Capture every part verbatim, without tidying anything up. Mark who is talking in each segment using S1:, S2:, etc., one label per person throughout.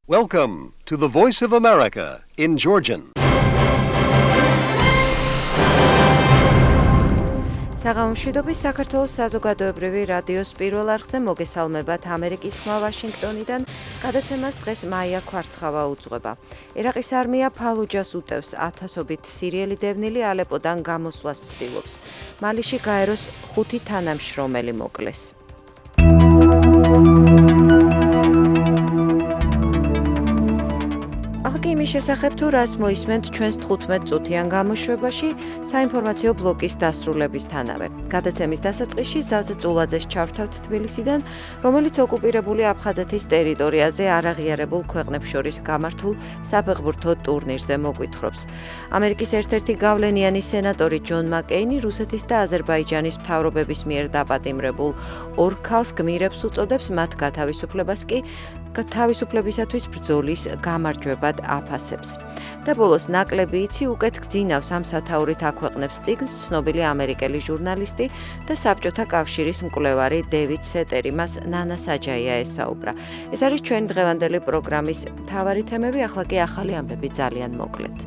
S1: Welcome to the Voice of America in Georgian.
S2: საღამომშვიდობის საქართველოს საზოგადოებრივი რადიოს პირველ არხზე მოგესალმებათ ამერიკის ხმა ვაშინგტონიდან. გადაცემას დღეს მაია ქვარცხავა უძღვება. ერაყის არმია ფალუჯას უტევს, ათასობით სირიელი დევნილი ალეპოდან გამოსვლას ცდილობს. მალიში გაეროს ხუთი თანამშრომელი მოკლეს. იმის შესახებ თუ რას მოისმენთ ჩვენს თხუთმეტ წუთიან გამოშვებაში საინფორმაციო ბლოკის დასრულებისთანავე. გადაცემის დასაწყისში ზაზა წულაძეს ჩავთავთ თბილისიდან, რომელიც ოკუპირებული აფხაზეთის ტერიტორიაზე არაღიარებულ ქვეყნებს შორის გამართულ საფეხბურთო ტურნირზე მოგვითხრობს. ამერიკის ერთ-ერთი გავლენიანი სენატორი ჯონ მაკეინი რუსეთის და აზერბაიჯანის მთავრობების მიერ დაპატიმრებულ ორ ქალს გმირებს უწოდებს, მათ გათავისუფლებას კი თავისუფლებისათვის ბრძოლის გამარჯვებად აფასებს. და ბოლოს ნაკლები იცი უკეთ გძინავს ამ სათაურით აქვეყნებს წიგნს ცნობილი ამერიკელი ჟურნალისტი და საბჭოთა კავშირის მკვლევარი დევიდ სეტერი, მას ნანა საჯაია ესაუბრა. ეს არის ჩვენი დღევანდელი პროგრამის მთავარი თემები, ახლა კი ახალი ამბები ძალიან მოკლედ.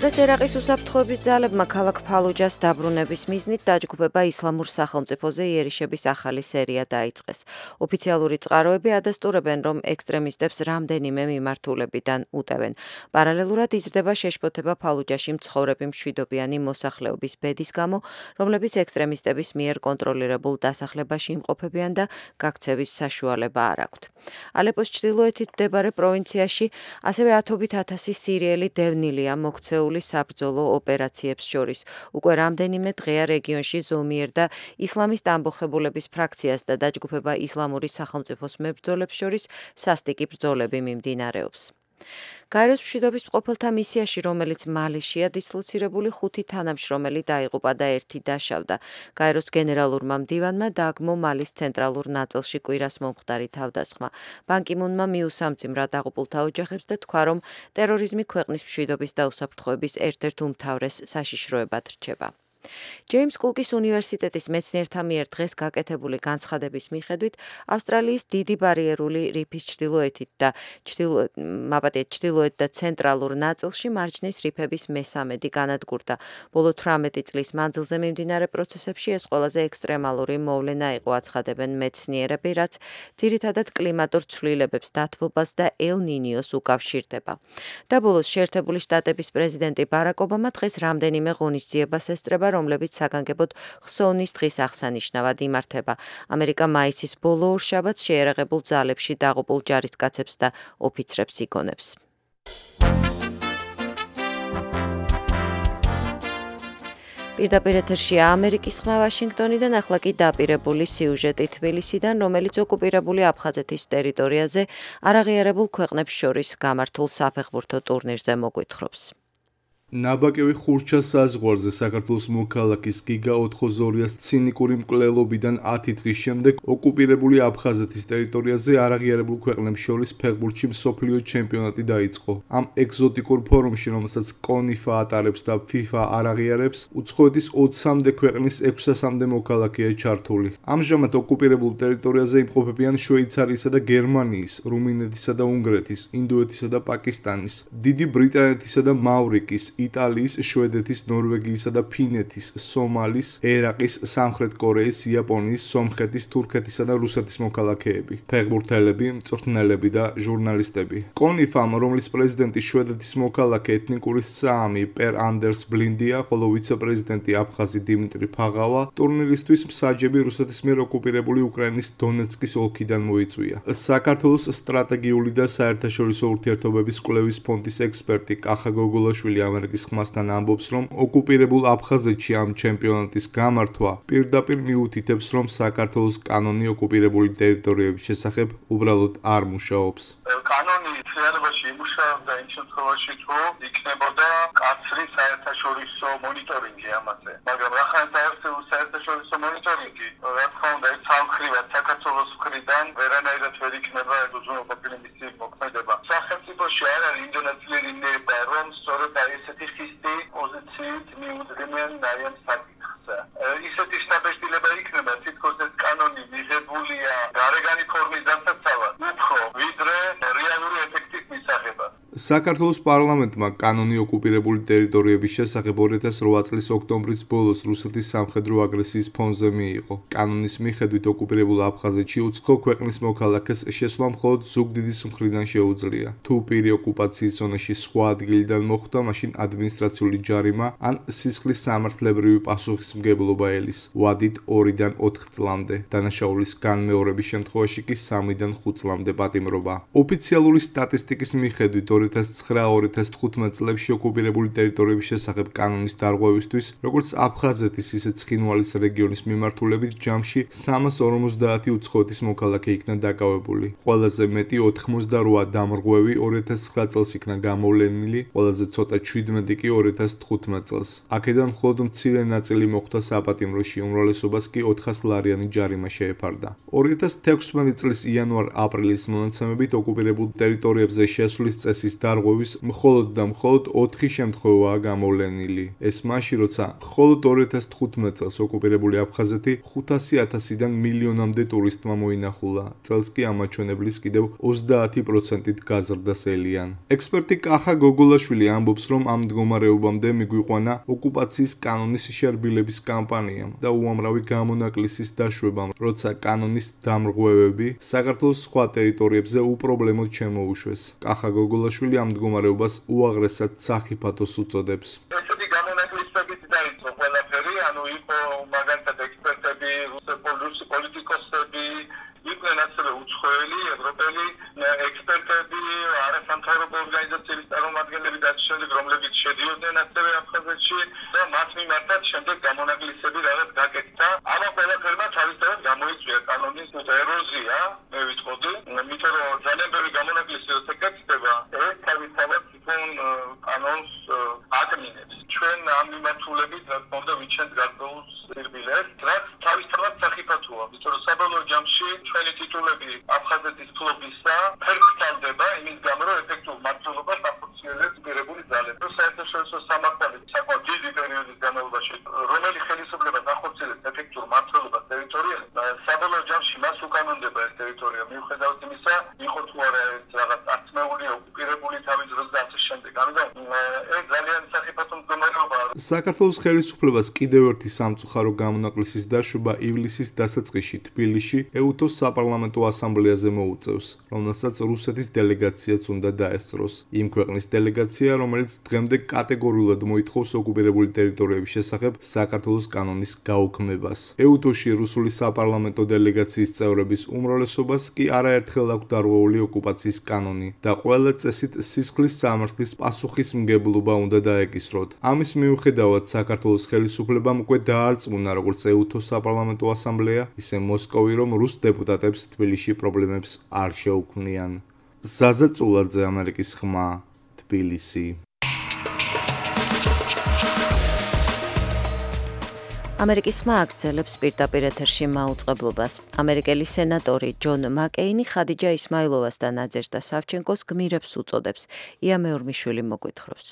S2: დღეს ერაყის უსაფრთხოების ძალებმა ქალაქ ფალუჯას დაბრუნების მიზნით დაჯგუფება ისლამურ სახელმწიფოზე იერიშების ახალი სერია დაიწყეს. ოფიციალური წყაროები ადასტურებენ, რომ ექსტრემისტებს რამდენიმე მიმართულებიდან უტევენ. პარალელურად იზრდება შეშფოთება ფალუჯაში მცხოვრები მშვიდობიანი მოსახლეობის ბედის გამო, რომლებიც ექსტრემისტების მიერ კონტროლირებულ დასახლებაში იმყოფებიან და გაქცევის საშუალება არ აქვთ. ალეპოს ჩრდილოეთით მდებარე პროვინციაში ასევე ათობით ათასი სირიელი დევნილია მოქცეული საბრძოლო ოპერაციებს შორის. უკვე რამდენიმე დღეა რეგიონში ზომიერ და ისლამისტ ამბოხებულების ფრაქციას და დაჯგუფება ისლამური სახელმწიფოს მებრძოლებს შორის სასტიკი ბრძოლები მიმდინარეობს. გაეროს მშვიდობის მყოფელთა მისიაში, რომელიც მალიშია დისლოცირებული ხუთი თანამშრომელი დაიღუპა და ერთი დაშავდა. გაეროს გენერალურმა მდივანმა დააგმო მალის ცენტრალურ ნაწილში კვირას მომხდარი თავდასხმა. ბან კი მუნმა მიუსამძიმრა დაღუპულთა ოჯახებს და თქვა, რომ ტერორიზმი ქვეყნის მშვიდობის და უსაფრთხოების ერთ-ერთ უმთავრეს საშიშროებად რჩება. ჯეიმს კუკის უნივერსიტეტის მეცნიერთა მიერ დღეს გაკეთებული განცხადების მიხედვით, ავსტრალიის დიდი ბარიერული რიფის ჩრდილოეთით და ჩრდილოეთ და ცენტრალურ ნაწილში მარჯნის რიფების მესამედი განადგურდა. ბოლო თვრამეტი წლის მანძილზე მიმდინარე პროცესებში ეს ყველაზე ექსტრემალური მოვლენა იყო, აცხადებენ მეცნიერები, რაც ძირითადად კლიმატურ ცვლილებებს, დათბობას და ელ-ნინიოს უკავშირდება. და ბოლოს შეერთებული შტატების პრეზიდენტი ბარაკ ობამა დღეს რამდენიმე ღონისძიებას ესწრება, რომლებიც საგანგებოდ ხსოვნის დღის აღსანიშნავად იმართება. ამერიკა მაისის ბოლო ორშაბათს შეერაღებულ ძალებში დაღუპულ ჯარისკაცებს და ოფიცრებს იგონებს. პირდაპირ ეთერშია ამერიკის ხმა ვაშინგტონიდან, ახლა კი დაპირებული სიუჟეტი თბილისიდან, რომელიც ოკუპირებული აფხაზეთის ტერიტორიაზე არაღიარებულ ქვეყნებს შორის გამართულ საფეხბურთო ტურნირზე მოგვითხრობს.
S3: ნაბაკევი ხურჩას საზღვარზე საქართველოს მოქალაქის გიგა ოთხოზორიას ცინიკური მკვლელობიდან ათი დღის შემდეგ ოკუპირებული აფხაზეთის ტერიტორიაზე არაღიარებულ ქვეყნებს შორის ფეხბურთში მსოფლიო ჩემპიონატი დაიწყო. ამ ეგზოტიკურ ფორუმში, რომელსაც კონიფა ატარებს და ფიფა არ აღიარებს, უცხოეთის ოცამდე ქვეყნის ექვსასამდე მოქალაქეა ჩართული. ამჟამად ოკუპირებულ ტერიტორიაზე იმყოფებიან შვეიცარიისა და გერმანიის, რუმინეთისა და უნგრეთის, ინდოეთისა და პაკისტანის, დიდი ბრიტანეთისა და მავრიკის, იტალიის, შვედეთის, ნორვეგიისა და ფინეთის, სომალის, ერაყის, სამხრეთ კორეის, იაპონიის, სომხეთის, თურქეთისა და რუსეთის მოქალაქეები, ფეხბურთელები, მწვრთნელები და ჟურნალისტები. კონიფამ, რომლის პრეზიდენტი შვედეთის მოქალაქე ეთნიკური საამი პერ ანდერს ბლინდია, ხოლო ვიცე-პრეზიდენტი აფხაზი დიმიტრი ფაღავა, ტურნირისთვის მსაჯები რუსეთის მიერ ოკუპირებული უკრაინის დონეცკის ოლქიდან მოიწვია. საქართველოს სტრატეგიული და საერთაშორისო ურთიერთობების კვლევის ფონდის ექსპერტი კახა გოგოლაშვილი ამერიკის ხმასთან ამბობს, რომ ოკუპირებულ აფხაზეთში ამ ჩემპიონატის გამართვა პირდაპირ მიუთითებს, რომ საქართველოს კანონი ოკუპირებული ტერიტორიების შესახებ უბრალოდ არ მუშაობს.
S4: კანონი რეალობაში იმუშავებდა იმ შემთხვევაში, თუ იქნებოდა კაცრი საერთაშორისო მონიტორინგი ამაზე. მაგრამ ახლა საერთაშორისო მონიტორინგი, რა თქმა უნდა, ეს სამხრივად საქართველოს მხრიდან ვერანაირად ვერ იქნება უზრუნველყოფილი მისი მოქმედება. სახელმწიფოში არ არის ინდონეზიელი ნება, რომ სწორედ აი ესეთი ხისტი პოზიციით მიუძღვნიან აი ამ საკითხს. ისეთი შთაბეჭდილება იქნება თითქოს ამის დასაცავად უფრო ვიდრე რეალური ეფექტის მისაღებად.
S3: საქართველოს პარლამენტმა კანონი ოკუპირებული ტერიტორიების შესახებ ორი ათას რვა წლის ოქტომბრის ბოლოს რუსეთის სამხედრო აგრესიის ფონზე მიიღო. კანონის მიხედვით ოკუპირებულ აფხაზეთში უცხო ქვეყნის მოქალაქეს შესვლა მხოლოდ ზუგდიდის მხრიდან შეუძლია. თუ პირი ოკუპაციის ზონაში სხვა ადგილიდან მოხვდა, მაშინ ადმინისტრაციული ჯარიმა ან სისხლის სამართლებრივი პასუხისმგებლობა ელის. ვადით ორიდან ოთხ წლამდე. დანაშაულის განმეორების შემთხვევაში კი სამიდან ხუთ წლამდე პატიმრობა. ოფიციალური სტატისტიკის მიხედვით ორი ათას ცხრა ორი ათას თხუთმეტ წლებში ოკუპირებული ტერიტორიების შესახებ კანონის დარღვევისთვის, როგორც აფხაზეთის, ისე ცხინვალის რეგიონის მიმართულებით ჯამში სამას ორმოცდაათი უცხოეთის მოქალაქე იქნა დაკავებული. ყველაზე მეტი ოთხმოცდარვა დამრღვევი ორი ათას ცხრა წელს იქნა გამოვლენილი, ყველაზე ცოტა შვიდმეტი კი ორი ათას თხუთმეტ წელს. აქედან მხოლოდ მცირე ნაწილი მოხვდა საპატიმროში, უმრავლესობას კი ოთხას ლარიანი ჯარიმა შეეფარდა. ორი ათას თექვსმეტი წლის იანვარ-აპრილის მონაცემებით ოკუპირებულ ტერიტორიებზე შესვლის წესის დარღვევის მხოლოდ და მხოლოდ ოთხი შემთხვევაა გამოვლენილი. ეს მაშინ, როცა მხოლოდ ორი ათას თხუთმეტ წელს ოკუპირებული აფხაზეთი ხუთასი ათასიდან მილიონამდე ტურისტმა მოინახულა. წელს კი ამ მაჩვენებლის კიდევ ოცდაათი პროცენტით გაზრდა სელიან. ექსპერტი კახა გოგოლაშვილი ამბობს, რომ ამ მდგომარეობამდე მიგვიყვანა ოკუპაციის კანონის შერბილების კამპანიამ და უამრავი გამონაკლისის დაშვებამ, როცა კანონის დამრღვევები საქართველოს სხვა ტერიტორიებზე უპრობლემოდ შემოუშვეს. კახა გოგოლაშვილი ამ მდგომარეობას უაღრესად სახიფათოს უწოდებს.
S4: ესეთი გამონაკლისებით დაიწყო ყველაფერი, ანუ იყო მაგალითად ექსპერტები, რუსი პოლიტიკოსები, იყვნენ ასევე უცხოელი, ევროპელი ექსპერტები, არასამთავრობო ორგანიზაციების წარმომადგენლები და შემდეგ, რომლებიც შედიოდნენ ასევე აფხაზეთში და მათ მიმართად შემდეგ გამონაკლისები რაღაც გაკეთდა. ამ ყველაფერმა თავისთავად გამოიწვია კანონის ეროზია, მე ვიტყოდი, იმიტომ რომ ძალიან ბევრი გამონაკლისი როცა გაკეთდება, ეს თავისთავად თვითონ კანონს აკნინებს. ჩვენ ამ მიმართულებით რა თქმა უნდა ვიჩენთ გარკვეულს სირბილეს, რაც თავისთავად სახიფათოა, იმიტომ რომ საბოლოო ჯამში ჩვენი ტიტულები აფხაზეთის ფლობისა ფერფლდება იმის გამო, რომ ეფექტურ მმართველობას ახორციელებს მიღებული ძალები. საერთაშორისო სამართალი საკმაოდ დიდი პერიოდის განმავლობაში, რომელი ხელისუფლებას ახორციელებს ეფექტურ მმართველობას ტერიტორიაზე, საბოლოო ჯამში მას უკანონდება ეს ტერიტორია, მიუხედავად იმისა, იყო თუ არა ეს რაღაც აწმეული, ოკუპირებული თავის დროს და ასე შემდეგ. ამიტომ ეს ძალიან სახიფათო მდგომარეობაა.
S3: საქართველოს ხელისუფლებას კიდევ ერთი სამწუხარო გამონაკლისის დაშვება ივლისის დასაწყისში თბილისში ეუთოს საპარლამენტო ასამბლეაზე მოუწევს, რომელსაც რუსეთის დელეგაციაც უნდა დაესწროს. იმ ქვეყნის დელეგაცია, რომელიც დღემდე კატეგორიულად მოითხოვს ოკუპირებული ტერიტორიების შესახებ საქართველოს კანონის გაუქმებას. ეუთოში რუსული საპარლამენტო დელეგაციის წევრების უმრავლესობას კი არაერთხელ აქვს დარღვეული ოკუპაციის კანონი და ყველა წესით სისხლის სამართლის პასუხისმგებლობა უნდა დაეკისროთ. ამის მიუხედავად საქართველოს ხელისუფლებამ უკვე დაარწმუნა როგორც ეუთოს საპარლამენტო ასამბლეა, ისე მოსკოვი, რომ რუს დეპუტატებს თბილისში პრობლემებს არ შეუქმნიან. ზაზა წულაძე, ამერიკის ხმა, თბილისი.
S2: ამერიკის ხმა აგრძელებს პირდაპირ ეთერში მაუწყებლობას. ამერიკელი სენატორი ჯონ მაკეინი ხადიჯა ისმაილოვას და ნაძეჟდა სავჩენკოს გმირებს უწოდებს. ია მეორმიშვილი მოგვითხრობს.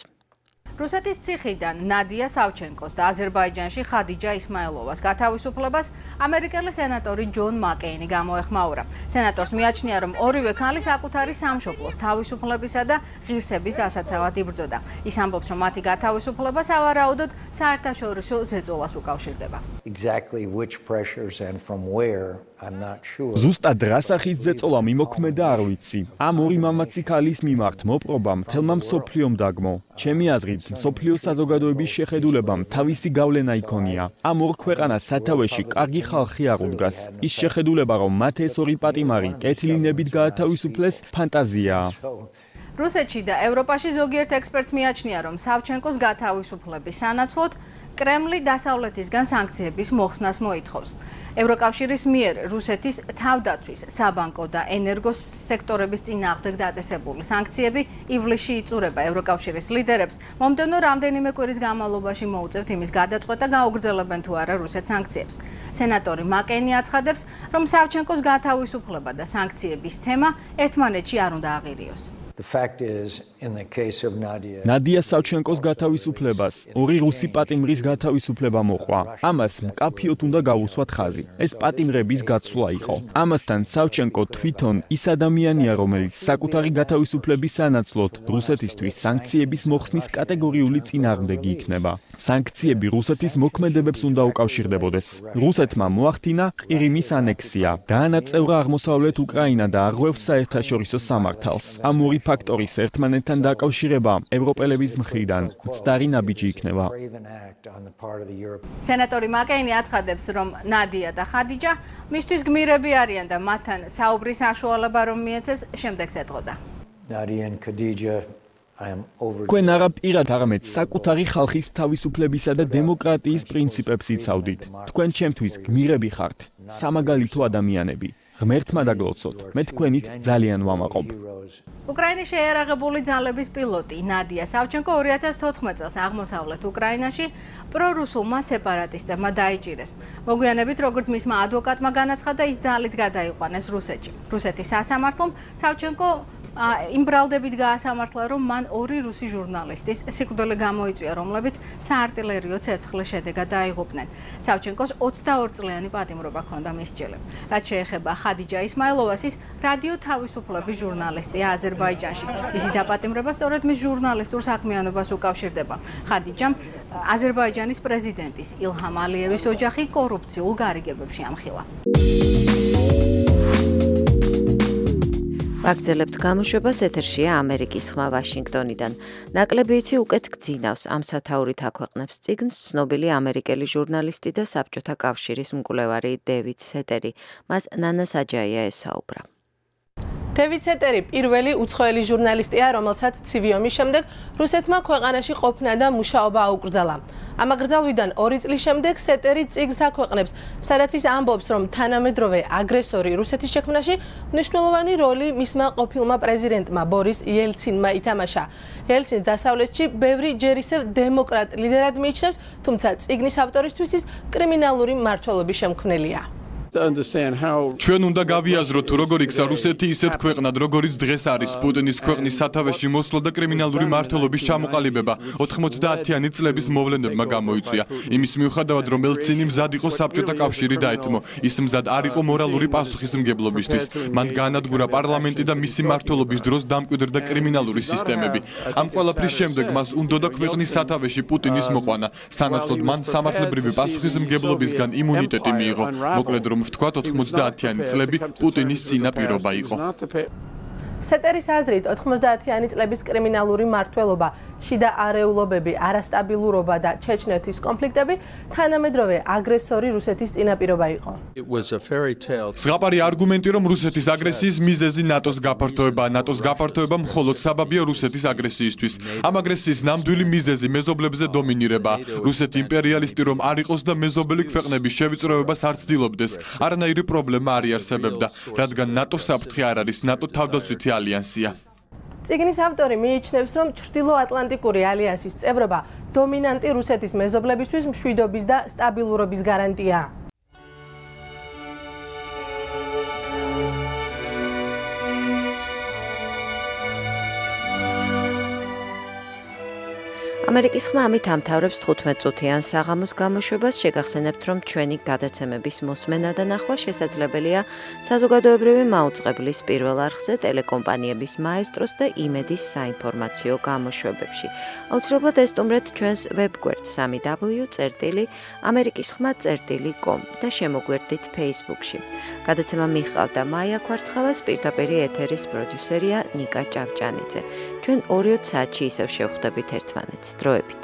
S5: რუსეთის ციხიდან ნადია სავჩენკოს და აზერბაიჯანში ხადიჯა ისმაილოვას გათავისუფლებას ამერიკელი სენატორი ჯონ მაკეინი გამოეხმაურა. სენატორს მიაჩნია, რომ ორივე ქალი საკუთარი სამშობლოს თავისუფლებისა და ღირსების დასაცავად იბრძოდა. ის ამბობს, რომ მათი გათავისუფლება სავარაუდოდ საერთაშორისო ზეწოლას უკავშირდება.
S6: Exactly which pressures and from where I'm not sure.
S7: ზუსტად რა სახის ზეწოლა მიმოქმედა არ ვიცი. ამ ორი მამაცი ქალის მიმართ მოპყრობამ თელმა მსოფლიომ დაგმო. ჩემი აზრით, მსოფლიო საზოგადოების შეხედულებამ თავისი გავლენა იქონია. ამ ორ ქვეყანას სათავეში კარგი ხალხი არ უდგას. ის შეხედულება, რომ მათ ეს ორი პატიმარი კეთილინებით გაათავისუფლეს, ფანტაზიაა.
S5: რუსეთში და ევროპაში ზოგიერთ ექსპერტს მიაჩნია, რომ სავჩენკოს გათავისუფლების სანაცვლოდ კრემლი დასავლეთისგან სანქციების მოხსნას მოითხოვს. ევროკავშირის მიერ რუსეთის თავდაცვის, საბანკო და ენერგოს სექტორების წინააღმდეგ დაწესებული სანქციები ივლისში იწურება. ევროკავშირის ლიდერებს მომდევნო რამდენიმე კვირის განმავლობაში მოუწევთ იმის გადაწყვეტა, გაუგრძელებენ თუ არა რუსეთს სანქციებს. სენატორი მაკეინი აცხადებს, რომ სავჩენკოს გათავისუფლება და სანქციების თემა ერთმანეთში არ უნდა აღირიოს.
S6: The fact is, in the case of Nadia,
S7: ნადია სავჩენკოს გათავისუფლებას ორი რუსი პატიმრის გათავისუფლება მოყვა. ამას მკაფიოდ უნდა გაუსვათ ხაზი. ეს პატიმრების გაცვლა იყო. ამასთან სავჩენკო თვითონ ის ადამიანია, რომელიც საკუთარი გათავისუფლების სანაცვლოდ რუსეთისთვის სანქციების მოხსნის კატეგორიული წინააღმდეგი იქნება. სანქციები რუსეთის მოქმედებებს უნდა უკავშირდებოდეს. რუსეთმა მოახდინა ყირიმის ანექსია, დაანაწევრა აღმოსავლეთ უკრაინა და არღვევს საერთაშორისო სამართალს. ამ ორი ფაქტორის ერთმანეთთან დაკავშირება ევროპელების მხრიდან მცდარი ნაბიჯი იქნება.
S5: სენატორი მაკეინი აცხადებს, რომ ნადია და ხადიჯა მისთვის გმირები არიან და მათთან საუბრის საშუალება რომ მიეცეს შემდეგს ეტყოდა.
S6: Nadia and Khadija, I am over.
S7: თქვენ არა პირად, არამედ საკუთარი ხალხის თავისუფლებისა და დემოკრატიის პრინციპებს იცავდით. თქვენ ჩემთვის გმირები ხართ, სამაგალითო ადამიანები. ღმერთმა დაგლოცოთ. მე თქვენით ძალიან ვამაყობ.
S5: უკრაინის შეიარაღებული ძალების პილოტი ნადია სავჩენკო ორი ათას თოთხმეტ წელს აღმოსავლეთ უკრაინაში პრორუსულმა სეპარატისტებმა დაიჭირეს. მოგვიანებით, როგორც მისმა ადვოკატმა განაცხადა, ის ძალით გადაიყვანეს რუსეთში. რუსეთის სასამართლომ სავჩენკო იმ ბრალდებით გაასამართლა, რომ მან ორი რუსი ჟურნალისტის სიკვდილი გამოიწვია, რომლებიც საარტილერიო ცეცხლის შედეგად დაიღუპნენ. სავჩენკოს ოცდაორი წლიანი პატიმრობა ჰქონდა მისჯილი. რაც შეეხება ხადიჯა ისმაილოვას, ის რადიო თავისუფლების ჟურნალისტია აზერბაიჯანში. მისი დაპატიმრება სწორედ მის ჟურნალისტურ საქმიანობას უკავშირდება. ხადიჯამ აზერბაიჯანის პრეზიდენტის ილჰამ ალიევის ოჯახი კორუფციულ გარიგებებში ამხილა.
S2: ვაგრძელებთ გამოშვებას, ეთერშია ამერიკის ხმა ვაშინგტონიდან. ნაკლები იცი უკეთ გძინავს, ამ სათაურით აქვეყნებს წიგნს ცნობილი ამერიკელი ჟურნალისტი და საბჭოთა კავშირის მკვლევარი დევიდ სეტერი. მას ნანა საჯაია ესაუბრა.
S8: დევიდ სეტერი პირველი უცხოელი ჟურნალისტია, რომელსაც ცივი ომის შემდეგ რუსეთმა ქვეყანაში ყოფნა და მუშაობა აუკრძალა. ამ აკრძალვიდან ორი წლის შემდეგ სეტერი წიგნს აქვეყნებს, სადაც ის ამბობს, რომ თანამედროვე აგრესორი რუსეთის შექმნაში მნიშვნელოვანი როლი მისმა ყოფილმა პრეზიდენტმა ბორის იელცინმა ითამაშა. იელცინს დასავლეთში ბევრი ჯერ ისევ დემოკრატ ლიდერად მიიჩნევს, თუმცა წიგნის ავტორისთვის ის კრიმინალური მმართველობის შემქმნელია.
S9: ჩვენ უნდა გავიაზროთ, თუ როგორ იქცა რუსეთი ისეთ ქვეყნად, როგორიც დღეს არის პუტინის ქვეყნის სათავეში მოსვლა და კრიმინალური მმართველობის ჩამოყალიბება ოთხმოცდაათიანი წლების მოვლენებმა გამოიწვია. იმის მიუხედავად, რომ ელცინი მზად იყო საბჭოთა კავშირი დაეთმო, ის მზად არ იყო მორალური პასუხისმგებლობისთვის. მან გაანადგურა პარლამენტი და მისი მმართველობის დროს დამკვიდრდა კრიმინალური სისტემები. ამ ყველაფრის შემდეგ მას უნდოდა ქვეყნის სათავეში პუტინის მოყვანა. სანაცვლოდ მან სამართლებრივი პასუხისმგებლობისგან იმუნიტეტი მიიღო. მოკლედ რომ ვთქვათ, ოთხმოცდაათიანი წლები პუტინის წინა პირობა იყო.
S8: სეტერის აზრით, ოთხმოცდაათიანი წლების კრიმინალური მმართველობა, შიდა არეულობები, არასტაბილურობა და ჩეჩნეთის კონფლიქტები თანამედროვე აგრესორი რუსეთის წინაპირობა იყო.
S9: ზღაპარი არგუმენტი, რომ რუსეთის აგრესიის მიზეზი ნატოს გაფართოება, ნატოს გაფართოება მხოლოდ საბაბია რუსეთის აგრესიისთვის. ამ აგრესიის ნამდვილი მიზეზი მეზობლებზე დომინირება. რუსეთი იმპერიალისტი რომ არ იყოს და მეზობელი ქვეყნების შევიწროებას არ ცდილობდეს, არანაირი პრობლემა არ იარსებებდა, რადგან ნატოს საფრთხე არ არის, ნატო თავდაცვითი ალიანსია.
S8: წიგნის ავტორი მიიჩნევს, რომ ჩრდილოატლანტიკური ალიანსის წევრობა დომინანტი რუსეთის მეზობლებისთვის მშვიდობის და სტაბილურობის გარანტია.
S2: ამერიკის ხმა ამით ამთავრებს თხუთმეტ წუთიან საღამოს გამოშვებას. შეგახსენებთ, რომ ჩვენი გადაცემების მოსმენა და ნახვა შესაძლებელია საზოგადოებრივი მაუწყებლის პირველ არხზე, ტელეკომპანიების მაესტროს და იმედის საინფორმაციო გამოშვებებში. აუცილებლად ესტუმრეთ ჩვენს ვებგვერდს სამი დაბლიუ წერტილი ამერიკის ხმა წერტილი კომ და შემოგვერდით Facebook-ში. გადაცემა მიჰყავდა მაია ქვარცხავას, პირდაპირი ეთერის პროდიუსერია ნიკა ჭავჭანიძე. ჩვენ ორი საათში ისევ შევხვდებით ერთმანეთს. დროებით.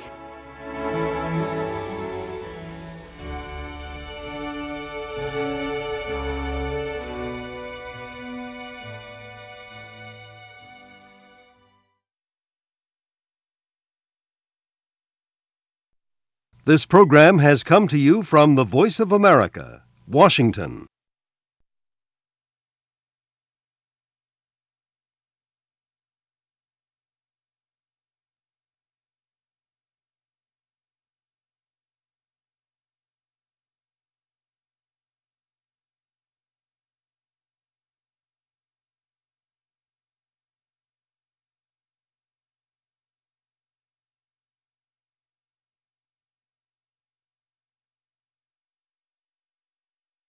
S1: This program has come to you from the Voice of America, Washington.